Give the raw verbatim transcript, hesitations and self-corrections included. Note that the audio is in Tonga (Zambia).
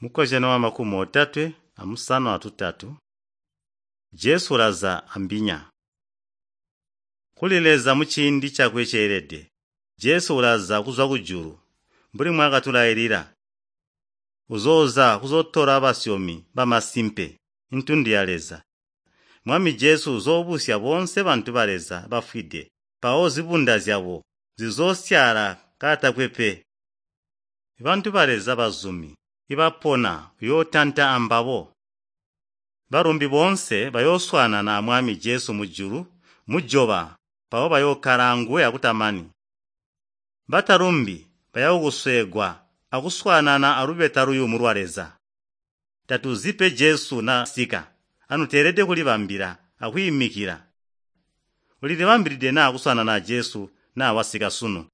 Mukozyano wamakumi otatwe amusanu atutatu, Jesu ulaza ambinya. Kuli Leza muciindi cakwe ceelede, Jesu ulaza kuzwa kujulu, mbuli mwakatulailila. Uzooza kuzootola basyomi bamasimpe, intundu ya Leza. Mwami Jesu uzoobusya boonse bantu ba Leza bafwide mpawo zibunda zyabo zizoosyaala kaatakwe pe. Bantu ba Leza bazumi ibapona uyootanta ambabo. Balumbi boonse bayooswaanana a Mwami Jesu mujulu mujoba mpawo bayookkala anguwe akutamani. Batalumbi bayakusweegwa akuswaanana alubeta luyumu lwa Leza. Tatuzi pe Jesu nasika, anu teelede kulibambila akwiimikila. Ulilibambilide na kuswaanana a Jesu naa wasika sunu?